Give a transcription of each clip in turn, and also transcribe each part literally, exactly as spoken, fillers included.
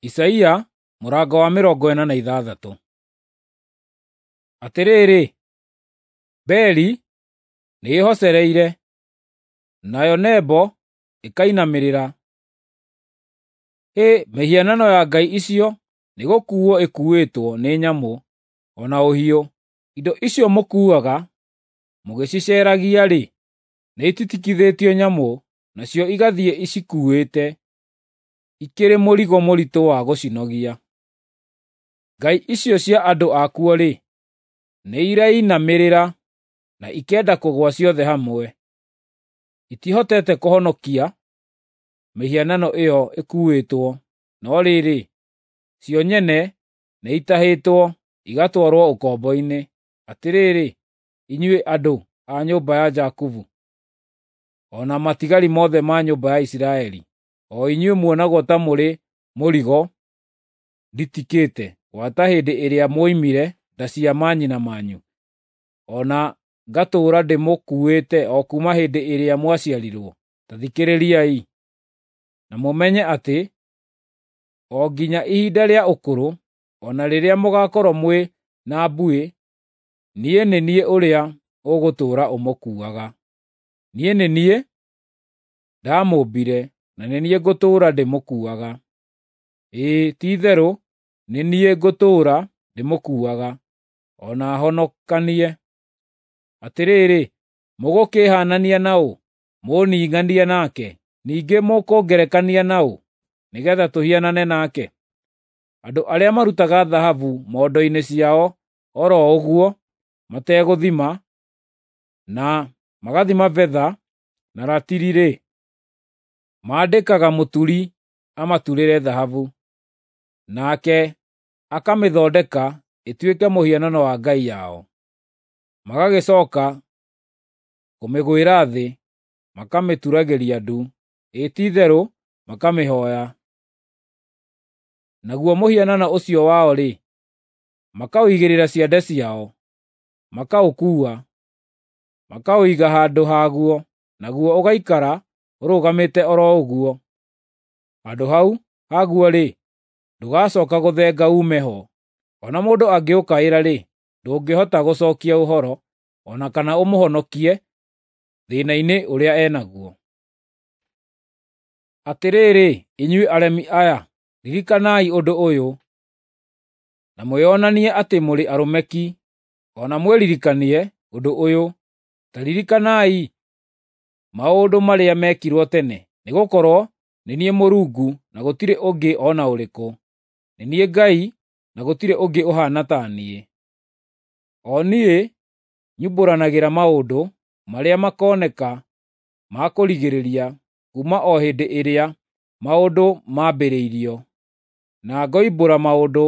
Isaia mũrango wa mĩrongo ĩna na ithathatũ. Atĩrĩrĩ, Beli nĩĩhocereire, nayo Nebo ĩkainamĩrĩra. Hĩ, mĩhianano ya ngai icio nĩgũkuuo ĩkuuĩtwo nĩ nyamũ, o na ũhiũ. Indo icio mũkuuaga mũgĩciceeragia-rĩ, nĩititikithĩtio nyamũ, nacio igathiĩ icikuuĩte, ikĩrĩ mũrigo mũritũ wa gũcinogia. Ngai icio cia andũ akuo-rĩ, nĩirainamĩrĩra na ikenda kũgũa ciothe hamwe. Itihotete kũhonokia mĩhianano ĩyo ĩkuuĩtwo, no rĩrĩ, cio nyene nĩitahĩtwo igatwarwo ũkombo-inĩ. Atĩrĩrĩ, inyuĩ andũ a nyũmba ya Jakubu, o na matigari mothe ma nyũmba ya Isiraeli, o inyuĩ muonagwo ta mũrĩ mũrigo nditikĩte gwata hĩndĩ ĩrĩa mwoimire nda cia manyina manyu, o na ngatũũra ndĩmũkuuĩte o kuuma hĩndĩ ĩrĩa mwaciarirwo. Ta thikĩrĩriai, na mũmenye atĩ o nginya ihinda rĩa ũkũrũ, o na rĩrĩa mũgaakorwo mwĩ na mbuĩ, niĩ nĩ niĩ ũrĩa ũgũtũũra ũmũkuuaga. Niĩ nĩ niĩ ndamũũmbire, na nĩ niĩ ngũtũũra ndĩmũkuuaga. Ĩĩ, ti-itherũ nĩ niĩ ngũtũũra ndĩmũkuuaga, o na honokanie. Atĩrĩrĩ, mũgũkĩĩhaanania na ũ, mũũninganie nake? Ningĩ mũkũngerekania na ũ, nĩgeetha tũhianane nake? Andũ arĩa marutaga thahabu mondo-inĩ ciao o ro ũguo mategũthima, na magathima betha na ratiri-rĩ, maandĩkaga mũturi amaturĩre thahabu, nake akamĩthondeka ĩtuĩke mũhianano wa ngai yao. Magagĩcooka kũmĩgwĩra thĩ, makamĩturagĩria ndu, ĩĩ ti-itherũ makamĩhooya. Naguo mũhianano ũcio wao-rĩ, makaũigĩrĩra ciande ciao, makaũkuua, makaũiga handũ haguo, naguo ũgaikara ũrũgamĩte o ro ũguo. Handũ hau haguo-rĩ, ndũgacooka gũthenga uume ho. O na mũndũ angĩũkaĩra-rĩ, ndũngĩhota gũcookia ũhoro, o na kana ũmũhonokie thĩĩna-inĩ ũrĩa e naguo. Atĩrĩrĩ, inyuĩ aremi aya, ririkanai ũndũ ũyũ, na mwĩonanie atĩ mũrĩ arũme ki, o na mwĩririkanie ũndũ ũyũ. Ta ririkanai maũndũ marĩa mekirwo tene, nĩgũkorwo nĩ niĩ Mũrungu na gũtirĩ ũngĩ o na ũrĩkũ; nĩ niĩ Ngai na gũtirĩ ũngĩ ũhaana ta niĩ. O niĩ nyumbũranagĩra maũndũ marĩa makoneka ma kũrigĩrĩria kuuma o hĩndĩ ĩrĩa maũndũ maambĩrĩirio, na ngoimbũra maũndũ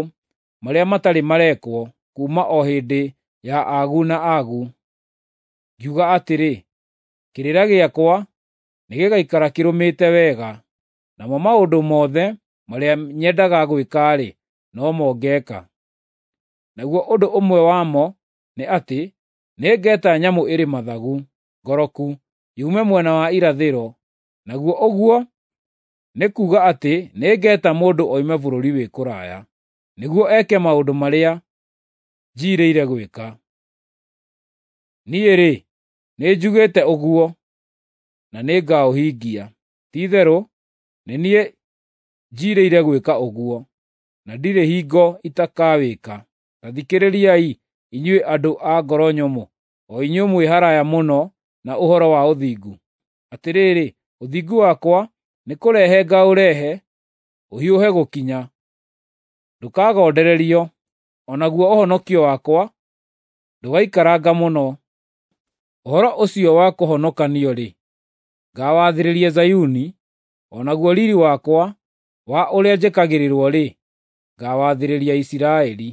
marĩa matarĩ marekwo kuuma o hĩndĩ ya agu na agu. Ngiuga atĩrĩ, ‘Kĩrĩra gĩakwa nĩgĩgaikara kĩrũmĩte wega, namo maũndũ mothe marĩa nyendaga gwĩka-rĩ, no mo ngeeka.’ Naguo ũndũ ũmwe wamo nĩ atĩ nĩngeeta nyamũ ĩrĩ mathagu ngoroku yume mwena wa irathĩro, naguo ũguo nĩ kuuga atĩ nĩngeeta mũndũ oime bũrũri wĩ kũraya, nĩguo eke maũndũ marĩa njiirĩire gwĩka. Niĩ-rĩ, nĩnjugĩte ũguo, na nĩngaũhingia. Ti-itherũ nĩ niĩ njiirĩire gwĩka ũguo, na ndirĩ hingo itakawĩka. Ta thikĩrĩriai, inyuĩ andũ a ngoro nyũmũ, o inyuĩ mwĩ haraaya mũno na ũhoro wa ũthingu. Atĩrĩrĩ, ũthingu wakwa nĩkũrehe ngaũrehe ũhiũhe gũkinya, ndũkagondererio, o naguo ũhonokio wakwa ndũgaikaranga mũno. Ũhoro ũcio wa kũhonokanio-rĩ, ngaawathĩrĩria Zayuni, o naguo riiri wakwa wa ũrĩa njĩkagĩrĩrwo-rĩ, ngaawathĩrĩria Isiraeli.